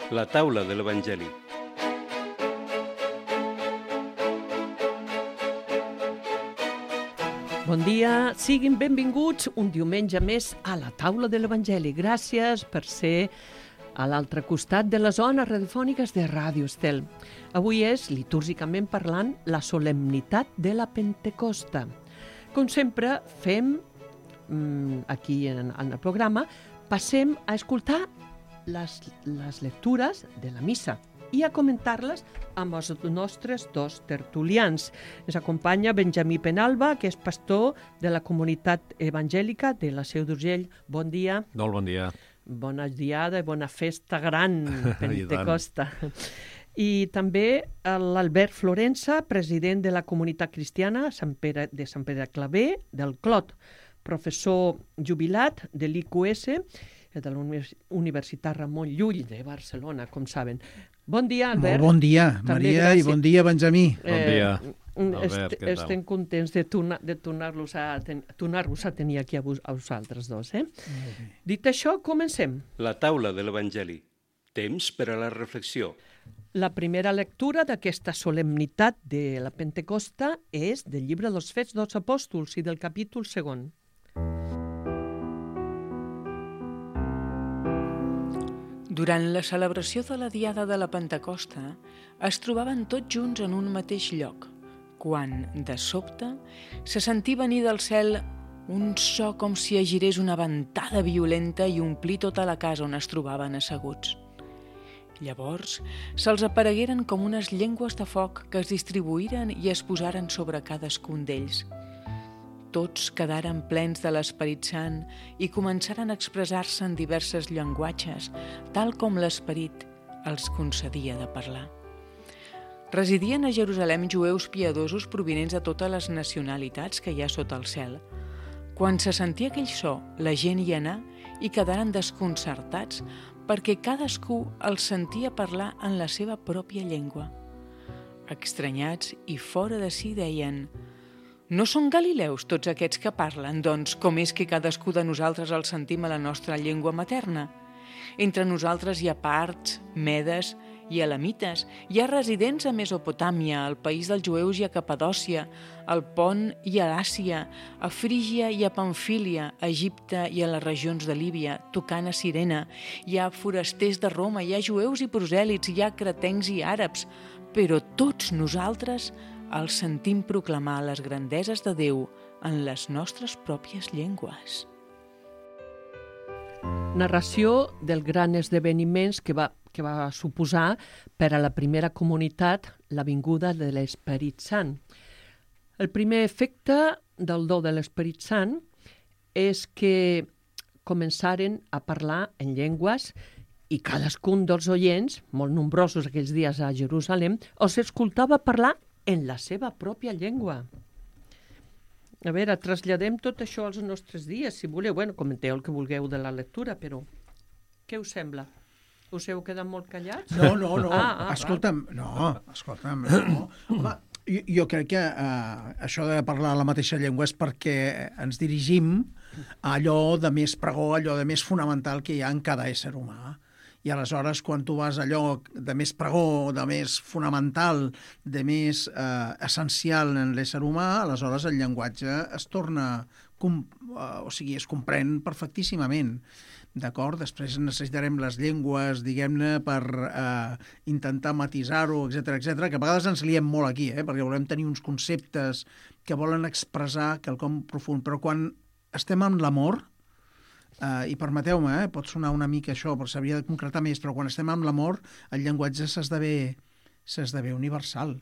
La taula de l'Evangeli. Bon dia, siguin benvinguts un diumenge més a la taula de l'Evangeli. Gràcies per ser a l'altre costat de les ones radiofòniques de Ràdio Estel. Avui és, litúrgicament parlant, la solemnitat de la Pentecosta. Com sempre fem, aquí en el programa, passem a escoltar les lectures de la missa i a comentar-les amb els nostres dos tertulians. Ens acompanya Benjamí Penalba, que és pastor de la comunitat evangèlica de la Seu d'Urgell. Bon dia. Molt bon dia. Bona diada i bona festa gran, Pentecosta. I també l'Albert Florença, president de la comunitat cristiana de Sant Pere de Claver, del Clot, professor jubilat de l'IQS, de la Universitat Ramon Llull de Barcelona, com saben. Bon dia, Albert. Molt bon dia, També Maria, gràcies. i bon dia, Benjamí. Bon dia, Albert, què tal? Estem contents de tornar-los a tenir aquí a vosaltres dos. Dit això, comencem. La taula de l'Evangeli. Temps per a la reflexió. La primera lectura d'aquesta solemnitat de la Pentecosta és del llibre dels Fets dels Apòstols i del capítol 2. Durant la celebració de la Diada de la Pentecosta, es trobaven tots junts en un mateix lloc, quan, de sobte, se sentí venir del cel un so com si agirés una ventada violenta i omplí tota la casa on es trobaven asseguts. Llavors, se'ls aparegueren com unes llengües de foc que es distribuïren i es posaren sobre cadascun d'ells. Tots quedaren plens de l'Esperit Sant i començaren a expressar-se en diversos llenguatges, tal com l'Esperit els concedia de parlar. Residien a Jerusalem jueus piadosos provinents de totes les nacionalitats que hi ha sota el cel. Quan se sentia aquell so, la gent hi anà i quedaren desconcertats perquè cadascú els sentia parlar en la seva pròpia llengua. Estranyats i fora de si deien: «No són galileus tots aquests que parlen, doncs com és que cadascú de nosaltres els sentim a la nostra llengua materna? Entre nosaltres hi ha parts, medes i elamites, hi ha residents a Mesopotàmia, al país dels jueus i a Capadòcia, al Pont i a Àsia, a Frígia i a Pamfília, a Egipte i a les regions de Líbia, tocant a Cirene, hi ha forasters de Roma, hi ha jueus i prosèlits, hi ha cretencs i àrabs, però tots nosaltres els sentim proclamar les grandeses de Déu en les nostres pròpies llengües». Narració del gran esdeveniments que va suposar per a la primera comunitat la vinguda de l'Esperit Sant. El primer efecte del do de l'Esperit Sant és que començaren a parlar en llengües i cadascun dels oients, molt nombrosos aquells dies a Jerusalem, els escoltava parlar en la seva pròpia llengua. A veure, traslladem tot això als nostres dies, si voleu. Bueno, comenteu el que vulgueu de la lectura, però què us sembla? Us heu quedat molt callats? No. Escolta'm, Home, jo crec que això de parlar la mateixa llengua és perquè ens dirigim a allò de més pregó, allò de més fonamental que hi ha en cada ésser humà. I aleshores, quan tu vas allò de més pregó, de més fonamental, de més essencial en l'ésser humà, aleshores el llenguatge es torna, es comprèn perfectíssimament. D'acord? Després necessitarem les llengües, diguem-ne, per intentar matisar-ho, etc, que a vegades ens liem molt aquí, perquè volem tenir uns conceptes que volen expressar quelcom profund, però quan estem amb l'amor, i permeteu-me, pot sonar una mica això, però s'hauria de concretar més, però quan estem amb l'amor, el llenguatge s'esdevé universal.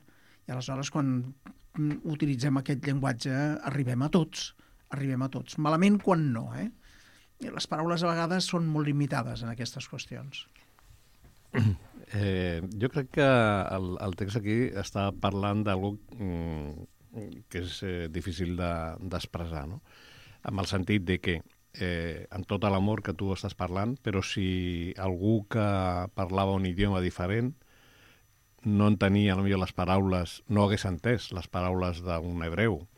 I aleshores, quan utilitzem aquest llenguatge, arribem a tots. Malament quan no, Les paraules a vegades són molt limitades en aquestes qüestions. Jo crec que el text aquí està parlant d'algú que és difícil d'expressar, no? Amb el sentit de que amb tot l'amor que tu estàs parlant, però si algú que parlava un idioma diferent no entenia potser les paraules, no hagués entès les paraules d'un hebreu,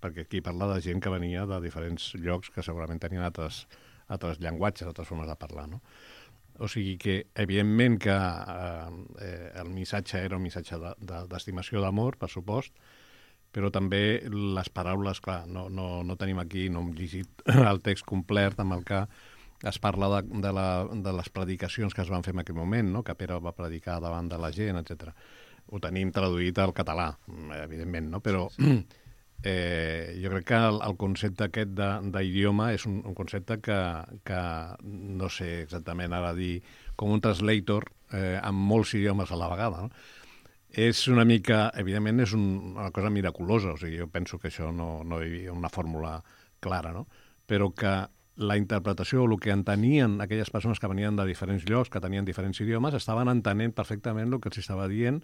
perquè aquí parla de gent que venia de diferents llocs que segurament tenien altres llenguatges, altres formes de parlar, no? O sigui que, evidentment, que el missatge era un missatge d'estimació d'amor, per supost, però també les paraules, clar, no tenim aquí, no hem llegit el text complet amb el que es parla de les predicacions que es van fer en aquell moment, no? Que Pere va predicar davant de la gent, etc. Ho tenim traduït al català, evidentment, no? Però jo crec que el concepte aquest d'idioma és un concepte que no sé exactament ara dir com un translator amb molts idiomes a la vegada, no? És una mica, evidentment, és una cosa miraculosa, o sigui, jo penso que això no hi havia una fórmula clara, no? Però que la interpretació, el que entenien aquelles persones que venien de diferents llocs, que tenien diferents idiomes, estaven entenent perfectament el que els estava dient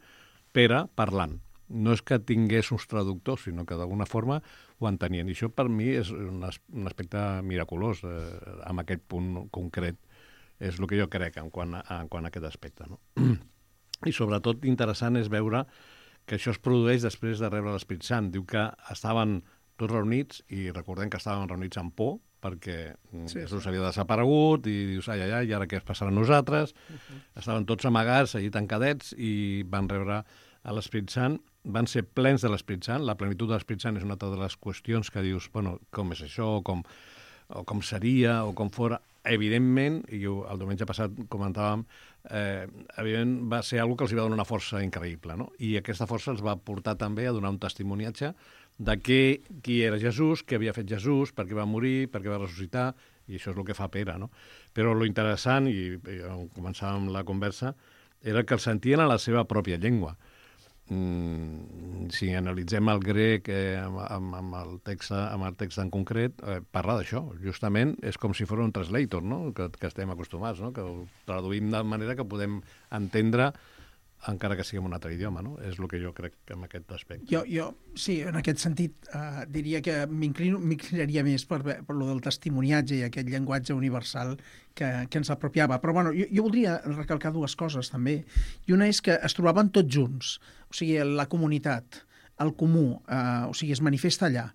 Pere parlant. No és que tingués uns traductors, sinó que d'alguna forma ho entenien. I això per mi és un aspecte miraculós en aquest punt concret. És el que jo crec en quant a aquest aspecte, no? I sobretot interessant és veure que això es produeix després de rebre l'Esperit Sant. Diu que estaven tots reunits, i recordem que estaven reunits amb por, perquè Jesús havia desaparegut, i dius, ai, i ara què es passarà a nosaltres? Estaven tots amagats, allí tancadets, i van rebre a l'Esperit Sant, van ser plens de l'Esperit Sant. La plenitud de l'Esperit Sant és una altra de les qüestions que dius, bueno, com és això, o com seria, o com fora. Evidentment, i el diumenge passat comentàvem, evidentment va ser una cosa que els va donar una força increïble, no? I aquesta força els va portar també a donar un testimoniatge de qui era Jesús, què havia fet Jesús, per què va morir, per què va ressuscitar, i això és el que fa Pere, no? Però lo interessant, i on començàvem la conversa, era que el sentien a la seva pròpia llengua. Si analitzem el grec amb el text en concret, parla d'això. Justament és com si fos un translator, no? Que estem acostumats, no? Que ho traduïm de manera que podem entendre encara que sigui en un altre idioma, no? És el que jo crec en aquest aspecte. Jo sí, en aquest sentit, diria que m'inclinaria més per lo del testimoniatge i aquest llenguatge universal que ens apropiava. Però bueno, jo voldria recalcar dues coses també. I una és que es trobaven tots junts, o sigui, la comunitat, el comú, o sigui, es manifesta allà.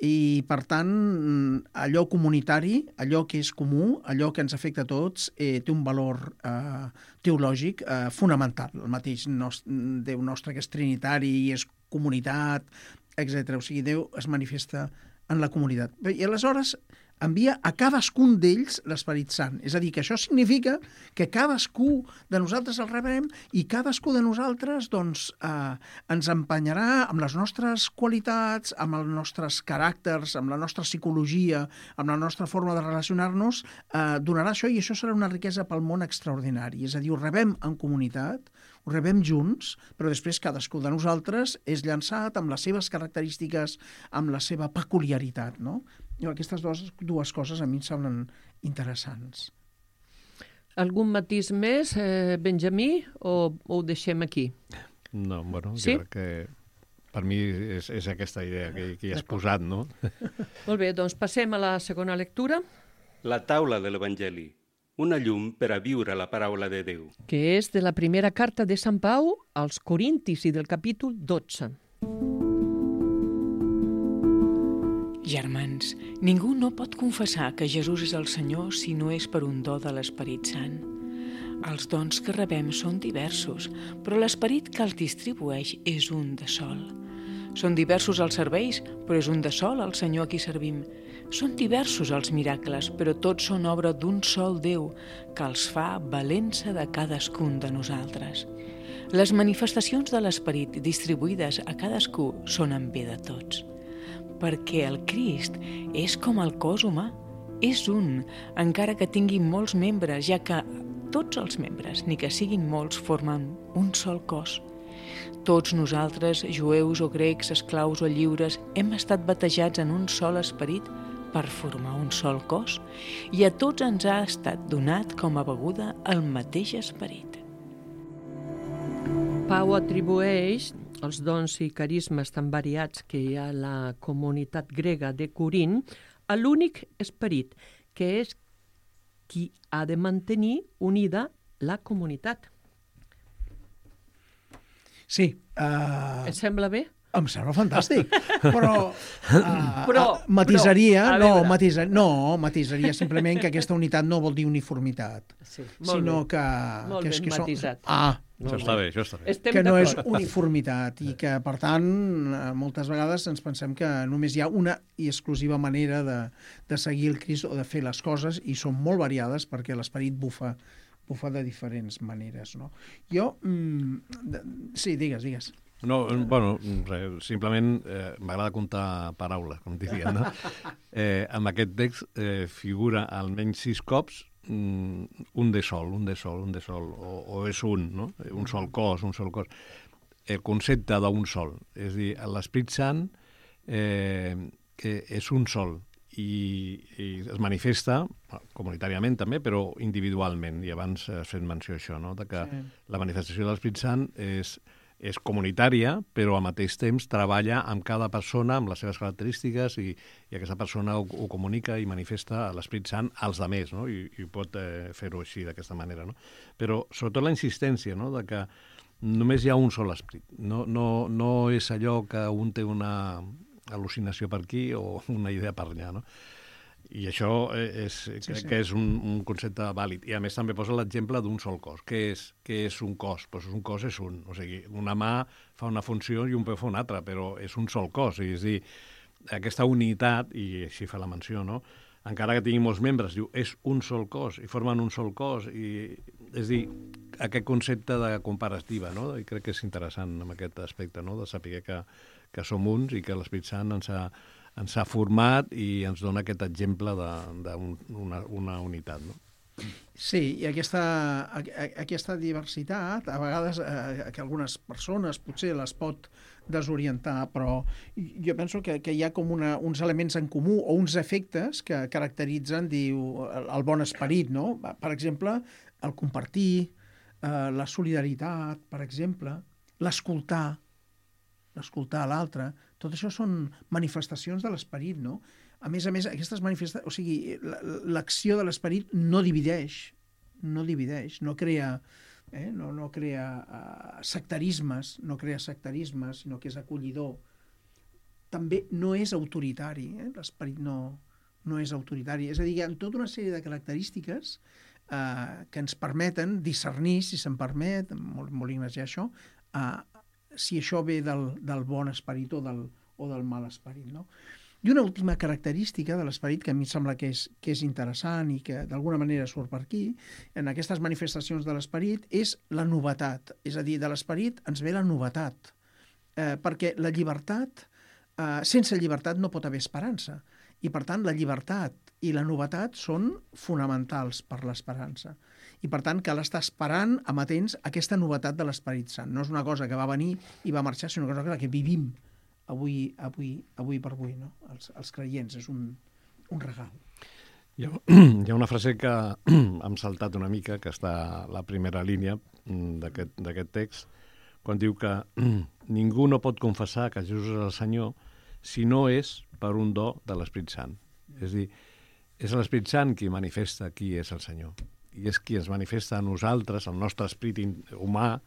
I, per tant, allò comunitari, allò que és comú, allò que ens afecta a tots, té un valor teològic fonamental. El mateix Déu nostre, que és trinitari i és comunitat, etc. O sigui, Déu es manifesta en la comunitat. I aleshores envia a cadascun d'ells l'Esperit Sant. És a dir, que això significa que cadascú de nosaltres el rebrem i cadascú de nosaltres doncs, ens empenyarà amb les nostres qualitats, amb els nostres caràcters, amb la nostra psicologia, amb la nostra forma de relacionar-nos, donarà això, i això serà una riquesa pel món extraordinari. És a dir, ho rebem en comunitat, ho rebem junts, però després cadascú de nosaltres és llançat amb les seves característiques, amb la seva peculiaritat, no? Aquestes dues coses a mi em semblen interessants. Algun matís més, Benjamí, o ho deixem aquí? No, bueno, sí? Jo crec que per mi és aquesta idea que hi has posat, no? Molt bé, doncs passem a la segona lectura. La taula de l'Evangeli, una llum per a viure la paraula de Déu. Que és de la primera carta de Sant Pau als Corintis i del capítol 12. Germans, ningú no pot confessar que Jesús és el Senyor si no és per un do de l'Esperit Sant. Els dons que rebem són diversos, però l'Esperit que els distribueix és un de sol. Són diversos els serveis, però és un de sol el Senyor a qui servim. Són diversos els miracles, però tots són obra d'un sol Déu, que els fa valent-se de cadascun de nosaltres. Les manifestacions de l'Esperit distribuïdes a cadascú són en bé de tots. Perquè el Crist és com el cos humà, és un, encara que tingui molts membres, ja que tots els membres, ni que siguin molts, formen un sol cos. Tots nosaltres, jueus o grecs, esclaus o lliures, hem estat batejats en un sol esperit per formar un sol cos, i a tots ens ha estat donat com a beguda el mateix esperit. Pau atribueix els dons i carismes tan variats que hi ha a la comunitat grega de Corint a l'únic esperit, que és qui ha de mantenir unida la comunitat. Sí. Et sembla bé? Em sembla fantàstic, però matisaria, matisaria simplement que aquesta unitat no vol dir uniformitat, sinó que... Molt ben matisat. Això està bé. Que no és uniformitat i que, per tant, moltes vegades ens pensem que només hi ha una i exclusiva manera de seguir el Crist o de fer les coses, i són molt variades perquè l'esperit bufa de diferents maneres, no? Jo... Sí, digues. No, bueno, simplement m'agrada comptar paraules, com diria, no? En aquest text figura almenys 6 cops un de sol, o és un, no? Un sol cos. El concepte d'un sol. És a dir, l'Esperit Sant és un sol i es manifesta comunitàriament també, però individualment. I abans has fet menció això, no? De que la manifestació de l'Esperit Sant és comunitària, però al mateix temps treballa amb cada persona, amb les seves característiques, i aquesta persona ho comunica i manifesta a l'Esperit Sant als altres, no? I pot fer-ho així, d'aquesta manera, no? Però sobretot la insistència, no? De que només hi ha un sol esperit. No és allò que un té una al·lucinació per aquí o una idea per allà, no? I això crec que és un concepte vàlid. I a més també posa l'exemple d'un sol cos. Què és un cos? Pues un cos és un. O sigui, una mà fa una funció i un peu fa una altra, però és un sol cos. És a dir, aquesta unitat, i així fa la menció, no? Encara que tingui molts membres, diu, és un sol cos, i formen un sol cos. És a dir, aquest concepte de comparativa, no? I crec que és interessant en aquest aspecte, no? De saber que som uns i que l'Esperit Sant ens ha format i ens dona aquest exemple d'una unitat, no? Sí, i aquesta diversitat, a vegades que algunes persones potser les pot desorientar, però jo penso que hi ha com uns elements en comú o uns efectes que caracteritzen, diu, el bon esperit, no? Per exemple, el compartir, la solidaritat, per exemple, l'escoltar a l'altre. Tot això són manifestacions de l'esperit, no? A més, aquestes manifestacions... O sigui, l'acció de l'esperit no divideix, no crea sectarismes, sinó que és acollidor. També no és autoritari, l'esperit no és autoritari. És a dir, hi ha tota una sèrie de característiques que ens permeten discernir, si se'n permet, molt ignasiar això, si això ve del bon esperit o del mal esperit, no? I una última característica de l'esperit que a mi em sembla que és interessant i que d'alguna manera surt per aquí, en aquestes manifestacions de l'esperit, és la novetat. És a dir, de l'esperit ens ve la novetat, perquè la llibertat, sense llibertat no pot haver esperança, i per tant la llibertat i la novetat són fonamentals per l'esperança. I per tant cal estar esperant, amatents, aquesta novetat de l'Esperit Sant. No és una cosa que va venir i va marxar, sinó que és una cosa que vivim avui per avui, no? Els creients, és un regal. Hi ha una frase que hem saltat una mica, que està a la primera línia d'aquest text, quan diu que ningú no pot confessar que Jesús és el Senyor si no és per un do de l'Esperit Sant. És a dir, és l'Esperit Sant qui manifesta qui és el Senyor. I és qui ens manifesta a nosaltres, el nostre esperit humà,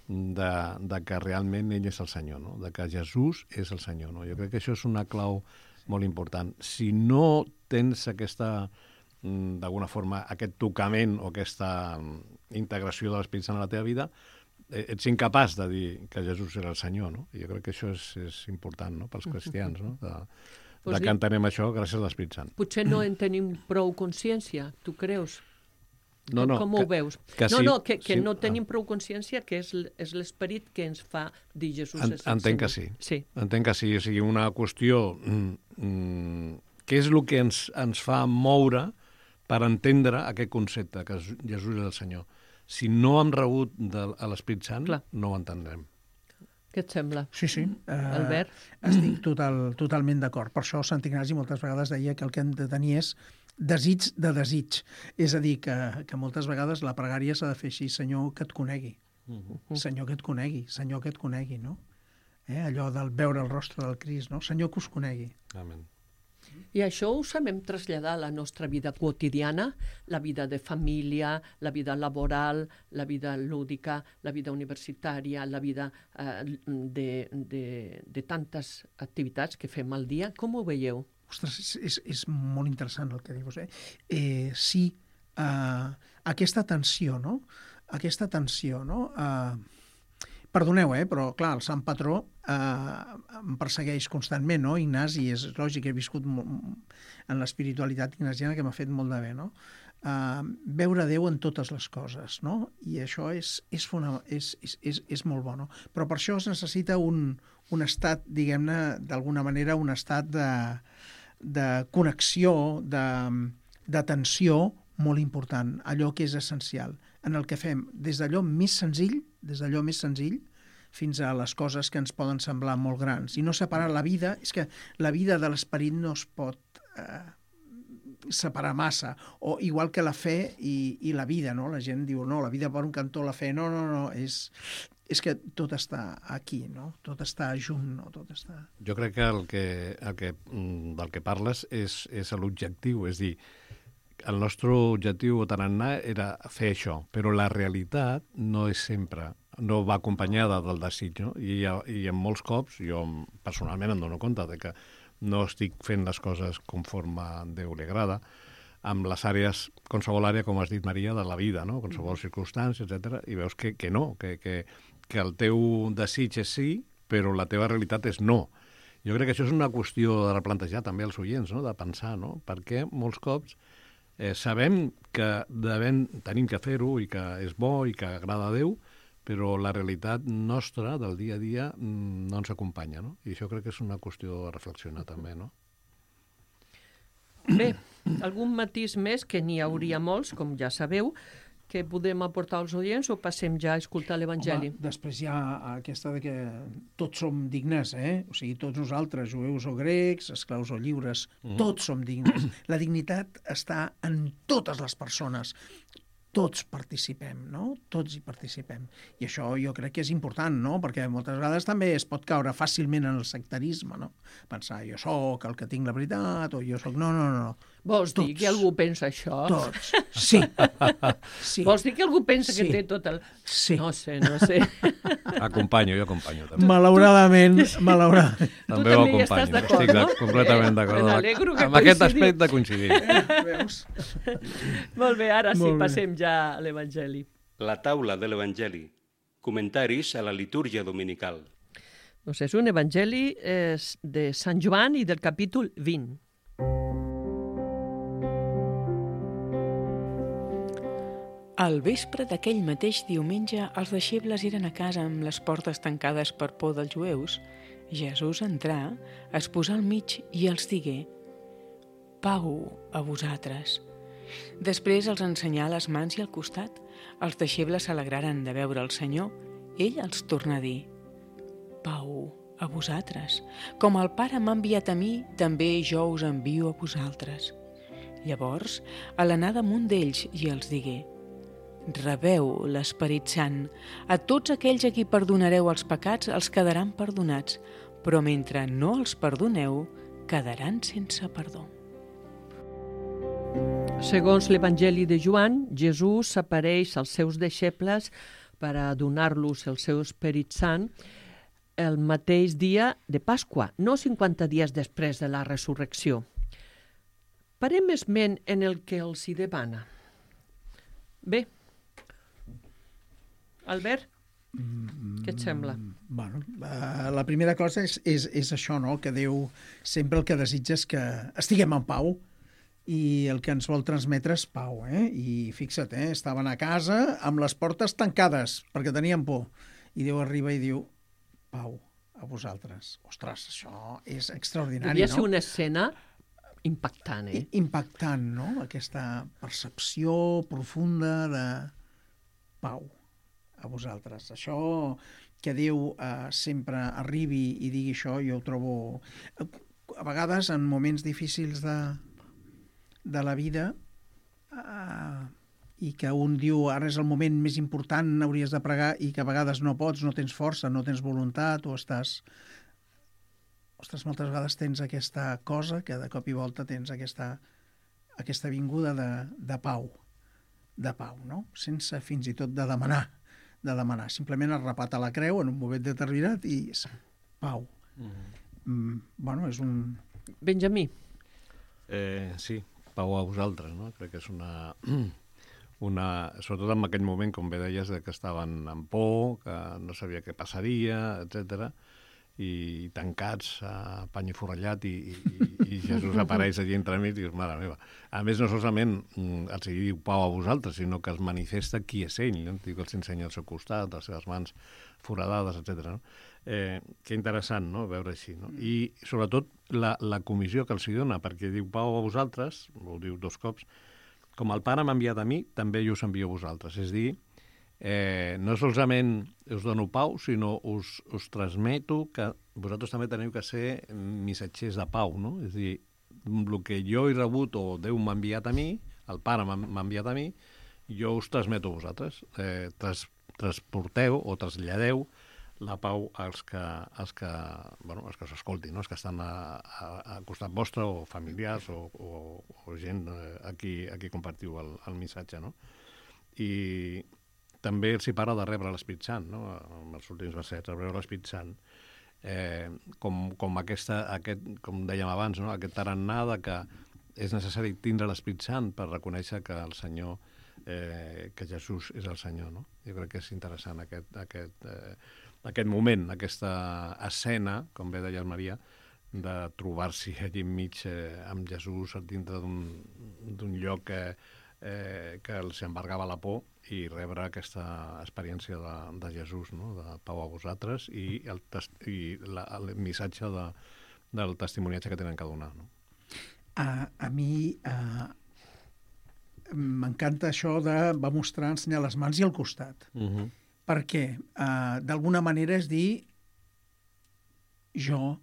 de que realment ell és el Senyor, no? De que Jesús és el Senyor, no? Jo crec que això és una clau molt important. Si no tens d'alguna forma, aquest tocament o aquesta integració de l'Esperit Sant a la teva vida, ets incapaç de dir que Jesús era el Senyor, no? I jo crec que això és important, no?, pels cristians, no? De que entenem això gràcies a l'Esperit Sant. Potser no en tenim prou consciència, tu creus? No, com ho veus? Que no tenim prou consciència que és l'esperit que ens fa dir Jesús és el Senyor. Entenc que sí. Entenc que sí. O sigui, una qüestió... què és el que ens fa moure per entendre aquest concepte, que Jesús és el Senyor? Si no hem rebut a l'Esperit Sant, no ho entendrem. Què et sembla? Sí. Albert? Estic totalment d'acord. Per això Sant Ignasi moltes vegades deia que el que hem de tenir és desig de desig. És a dir, que moltes vegades la pregària s'ha de fer així: Senyor, que et conegui. Senyor, que et conegui, no? Allò del veure el rostre del Crist, no? Senyor, que us conegui. Amén. I això ho sabem traslladar a la nostra vida quotidiana, la vida de família, la vida laboral, la vida lúdica, la vida universitària, la vida de tantes activitats que fem al dia. Com ho veieu? Ostres, és molt interessant el que dius, sí, aquesta tensió, no? Aquesta tensió, no? Perdoneu, però clar, el sant patró em persegueix constantment, no? Ignasi, és lògic, he viscut en l'espiritualitat ignasiana que m'ha fet molt de bé, no? Veure Déu en totes les coses, no? I això és molt bo, no? Però per això es necessita un estat, diguem-ne, d'alguna manera, un estat de connexió, d'atenció molt important, allò que és essencial, en el que fem des d'allò més senzill, fins a les coses que ens poden semblar molt grans. I no separar la vida, és que la vida de l'esperit no es pot separar massa, o igual que la fe i la vida, no? La gent diu, no, la vida per un cantó, la fe, no, és que tot està aquí, no? Tot està junt, no? Tot està... Jo crec que del que parles és l'objectiu, és dir, el nostre objectiu o tarannà era fer això, però la realitat no és sempre, no va acompanyada del desig, no? I en molts cops, jo personalment em dono compte de que no estic fent les coses conforme a Déu li agrada, amb les àrees, qualsevol àrea, com has dit, Maria, de la vida, no? Qualsevol circumstància, etc. I veus que no, que el teu desig és sí, però la teva realitat és no. Jo crec que això és una qüestió de replantejar també als oients, no? De pensar, no? Perquè molts cops sabem que tenim que fer-ho i que és bo i que agrada a Déu, però la realitat nostra del dia a dia no ens acompanya, no? I això crec que és una qüestió a reflexionar també, no? Bé, algun matís més, que n'hi hauria molts, com ja sabeu, que podem aportar als oients o passem ja a escoltar l'Evangeli? Home, després hi ha aquesta de que tots som dignes, O sigui, tots nosaltres, jueus o grecs, esclaus o lliures, tots som dignes. La dignitat està en totes les persones. Tots participem, no? Tots hi participem. I això jo crec que és important, no? Perquè moltes vegades també es pot caure fàcilment en el sectarisme, no? Pensar, jo sóc el que tinc la veritat, o jo sóc... No. Vols dir que algú pensa això? Tots, sí. Vols dir que algú pensa que té tot el... Sí. No sé. Jo acompanyo també. Malauradament. Tu també hi estàs d'acord, no? Estic completament d'acord. Me n'alegro que amb aquest aspecte coincidim. Veus? Molt bé, ara sí, Molt bé. passem ja a l'Evangeli. La taula de l'Evangeli. Comentaris a la litúrgia dominical. Doncs és un Evangeli de Sant Joan i del capítol 20. Al vespre d'aquell mateix diumenge, els deixebles eren a casa amb les portes tancades per por dels jueus. Jesús entrà, es posà al mig i els digué: «Pau a vosaltres». Després els ensenyà les mans i el costat. Els deixebles s'alegraren de veure el Senyor. Ell els torna a dir: «Pau a vosaltres. Com el Pare m'ha enviat a mi, també jo us envio a vosaltres». Llavors, a l'anar damunt d'ells i els digué: «Rebeu l'Esperit Sant. A tots aquells a qui perdonareu els pecats els quedaran perdonats, però mentre no els perdoneu, quedaran sense perdó». Segons l'Evangeli de Joan, Jesús s'apareix als seus deixebles per a donar-los el seu Esperit Sant el mateix dia de Pasqua, no 50 dies després de la resurrecció. Parem esment en el que els hi demana. Bé, Albert, què et sembla? Bueno, la primera cosa és això, no? Que Déu sempre el que desitja és que estiguem en pau, i el que ens vol transmetre és pau, I fixa't, estaven a casa amb les portes tancades perquè tenien por, i Déu arriba i diu: «Pau a vosaltres». Ostres, això és extraordinari, Devia no? ser una escena impactant, Impactant, no? Aquesta percepció profunda de pau a vosaltres. Això que Déu sempre arribi i digui això, jo ho trobo... A vegades, en moments difícils de la vida, i que un diu ara és el moment més important, hauries de pregar, i que a vegades no pots, no tens força, no tens voluntat, o estàs ostres, moltes vegades tens aquesta cosa que de cop i volta tens aquesta vinguda de pau, no? Sense fins i tot de demanar. Simplement es repata la creu en un moment determinat i pau. Bueno, és un... Benjamí. Sí, pau a vosaltres, no? Crec que és una... Sobretot en aquell moment, com bé deies, que estaven amb por, que no sabia què passaria, etc. I tancats a pany i forrellat i Jesús apareix allí entremig i dius, mare meva. A més, no solament els diu pau a vosaltres, sinó que es manifesta qui és ell, no? Diu que els ensenya al seu costat, les seves mans foradades, etc. No? Que interessant, no?, veure així. No? I, sobretot, la comissió que els dona, perquè diu pau a vosaltres, ho diu 2 cops, com el Pare m'ha enviat a mi, també jo us envio a vosaltres. És dir, no solament us dono pau, sinó us transmeto que vosaltres també teniu que ser missatgers de pau, no? És dir, el que jo he rebut o Déu m'ha enviat a mi, el Pare m'ha enviat a mi, jo us transmeto a vosaltres. Transporteu o traslladeu la pau als que us escoltin, no? Els que estan al costat vostre, o familiars, o gent a qui compartiu el missatge, no? I també els hi parla de rebre l'Espírit Sant, no? En els últims versets, rebre l'Espírit Sant, com com dèiem abans, no? Aquest tarannà de que és necessari tindre l'Espírit Sant per reconèixer que el Senyor, que Jesús és el Senyor, no? Jo crec que és interessant aquest moment, aquesta escena, com bé deia el Maria, de trobar-s'hi allí enmig amb Jesús dintre d'un lloc que els embargava la por i rebre aquesta experiència de Jesús, no? De pau a vosaltres i el missatge del testimoniatge que tenen que donar, no? A mi m'encanta això de va mostrar, ensenyar les mans i el costat. Perquè, d'alguna manera, és dir, jo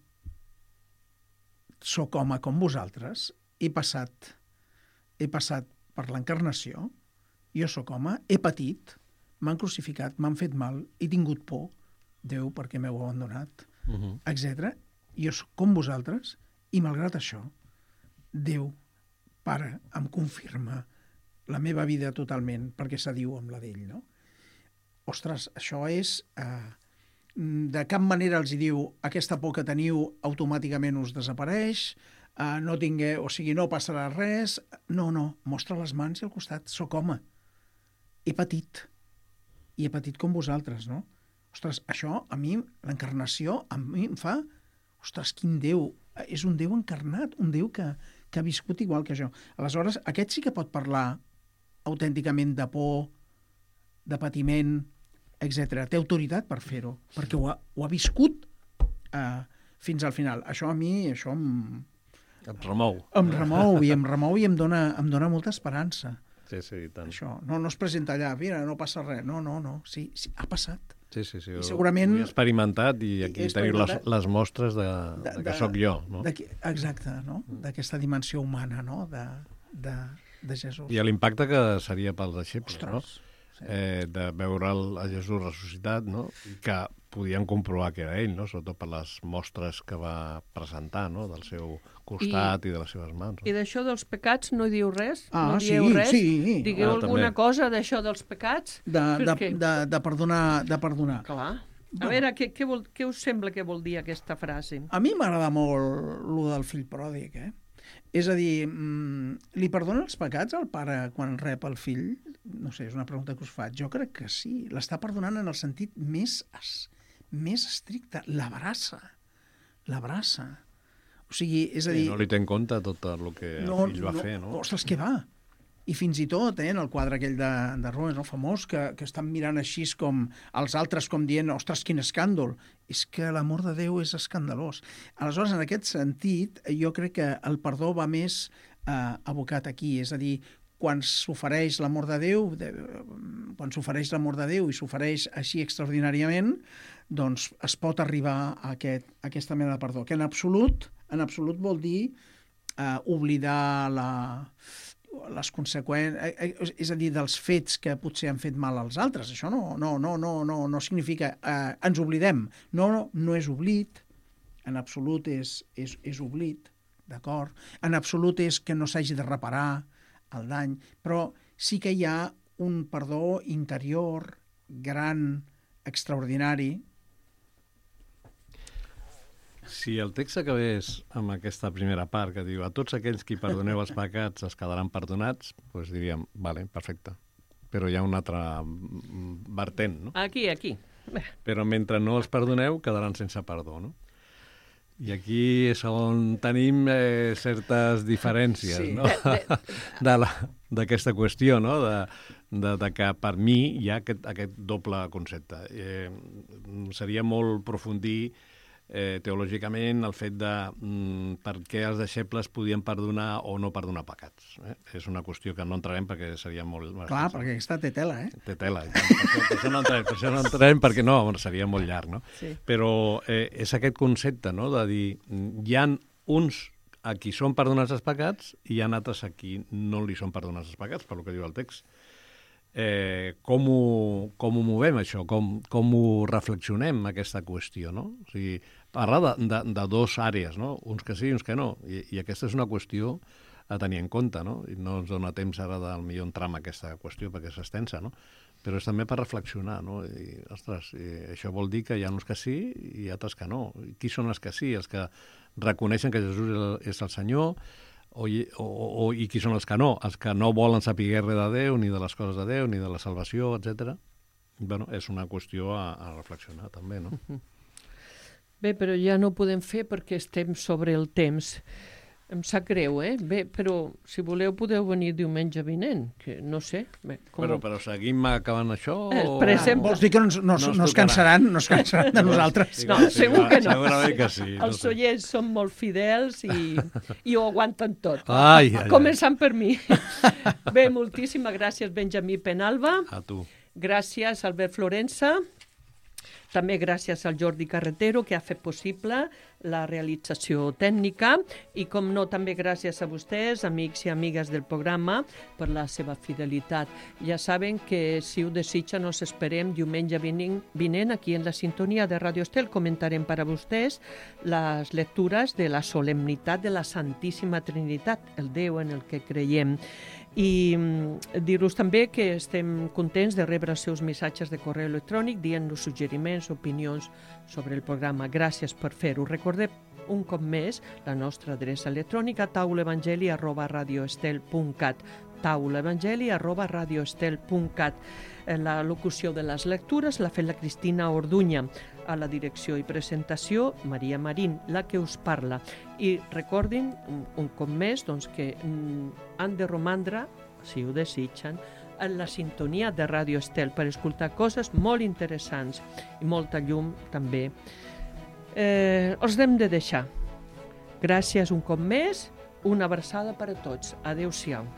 sóc home com vosaltres, he passat per l'encarnació, jo sóc home, he patit, m'han crucificat, m'han fet mal, he tingut por, Déu, perquè m'heu abandonat, etc. Jo sóc com vosaltres, i malgrat això, Déu, Pare, em confirma la meva vida totalment, perquè s'adiu amb la d'ell, no? Ostres, això és... de cap manera els diu aquesta por que teniu automàticament us desapareix, no tingueu, o sigui, no passarà res. No, mostra les mans i al costat. Soc home. He patit. I he patit com vosaltres, no? Ostres, això, a mi, l'encarnació, a mi em fa... Ostres, quin Déu! És un Déu encarnat, un Déu que ha viscut igual que jo. Aleshores, aquest sí que pot parlar autènticament de por, de patiment, etc. Té autoritat per fer-ho, perquè ho ha viscut fins al final. Això a mi, em remou. Em remou i em dona molta esperança. Sí, i tant. Això, no es presenta allà, mira, no passa res. No, sí, ha passat. Sí, i segurament... Ho he experimentat i aquí teniu les mostres de que sóc jo, no? Exacte, no? D'aquesta dimensió humana, no? De Jesús. I l'impacte que seria pels deixebles, no? Sí. De veure a Jesús ressuscitat, no? I que podien comprovar que era ell, no? Sobretot per les mostres que va presentar, no? Del seu costat i de les seves mans. No? I d'això dels pecats no diu res? No dieu res? Sí. Digueu alguna cosa d'això dels pecats? De perdonar. Clar. A veure, què us sembla que vol dir aquesta frase? A mi m'agrada molt lo del fill pròdig, És a dir, li perdona els pecats al pare quan rep el fill? No sé, és una pregunta que us faig. Jo crec que sí. L'està perdonant en el sentit més estricte. L'abraça. O sigui, és a dir... No li té en compte tot el que el fill va fer, no? Ostres, què va? I fins i tot, en el quadre aquell de Rubens, no, famós, que estan mirant així com els altres, com dient, ostres, quin escàndol. És que l'amor de Déu és escandalós. Aleshores, en aquest sentit, jo crec que el perdó va més abocat aquí, és a dir, quan s'ofereix l'amor de Déu, i s'ofereix així extraordinàriament, doncs es pot arribar a aquesta mena de perdó, que en absolut vol dir oblidar les conseqüències, és a dir, dels fets que potser han fet mal als altres. Això no significa ens oblidem. No és oblit, en absolut és oblit, d'acord? En absolut és que no s'hagi de reparar el dany, però sí que hi ha un perdó interior, gran, extraordinari. Si el text acabés amb aquesta primera part que diu a tots aquells qui perdoneu els pecats es quedaran perdonats, doncs diríem, vale, perfecte. Però hi ha un altre vertent, no? Aquí. Però mentre no els perdoneu, quedaran sense perdó, no? I aquí és on tenim certes diferències, Sí. no? D'aquesta qüestió, no? De que per mi hi ha aquest doble concepte. Seria molt profundir teològicament el fet de per què els deixebles podien perdonar o no perdonar pecats. És una qüestió que no entrarem perquè seria molt... Clar, perquè aquesta té tela, Té tela. Per això no entrarem, perquè no, seria molt llarg, no? Sí. Però és aquest concepte, no?, de dir, hi ha uns a qui són perdonats els pecats i hi ha altres a qui no li són perdonats els pecats, per lo que diu el text. Com ho movem, això? Com ho reflexionem, aquesta qüestió, no? O sigui, parla de dos àrees, no? Uns que sí i uns que no. I aquesta és una qüestió a tenir en compte, no? I no ens dona temps ara del millor entrar en aquesta qüestió perquè és extensa, no? Però és també per reflexionar, no? I, ostres, això vol dir que hi ha uns que sí i altres que no. I qui són els que sí? Els que reconeixen que Jesús és el Senyor, i qui són els que no? Els que no volen saber res de Déu, ni de les coses de Déu, ni de la salvació, etc. Bueno, és una qüestió a reflexionar, també, no? Bé, però ja no ho podem fer perquè estem sobre el temps. Em sap greu, Bé, però si voleu podeu venir diumenge vinent, que no sé. Bé, Però seguim acabant això? Per exemple... Vols dir que no es cansaran de nosaltres? No, segur que no. Segurament que sí. Els oients són molt fidels i ho aguanten tot. Ai. Començant per mi. Bé, moltíssimes gràcies, Benjamí Penalba. A tu. Gràcies, Albert Florença. També gràcies al Jordi Carretero, que ha fet possible la realització tècnica. I, com no, també gràcies a vostès, amics i amigues del programa, per la seva fidelitat. Ja saben que, si ho desitgen, nos esperem diumenge vinent aquí en la sintonia de Radio Estel. Comentarem per a vostès les lectures de la solemnitat de la Santíssima Trinitat, el Déu en el que creiem. I dir-vos també que estem contents de rebre els seus missatges de correu electrònic dient-nos suggeriments, opinions sobre el programa. Gràcies per fer-ho. Recordem un cop més la nostra adreça electrònica taulaevangeli@radioestel.cat taulaevangeli@radioestel.cat. La locució de les lectures l'ha fet la Cristina Orduña. A la direcció i presentació, Maria Marín, la que us parla. I recordin, un cop més, doncs, que han de romandre, si ho desitgen, en la sintonia de Radio Estel per escoltar coses molt interessants i molta llum també. Els hem de deixar. Gràcies un cop més, una abraçada per a tots. Adéu-siau.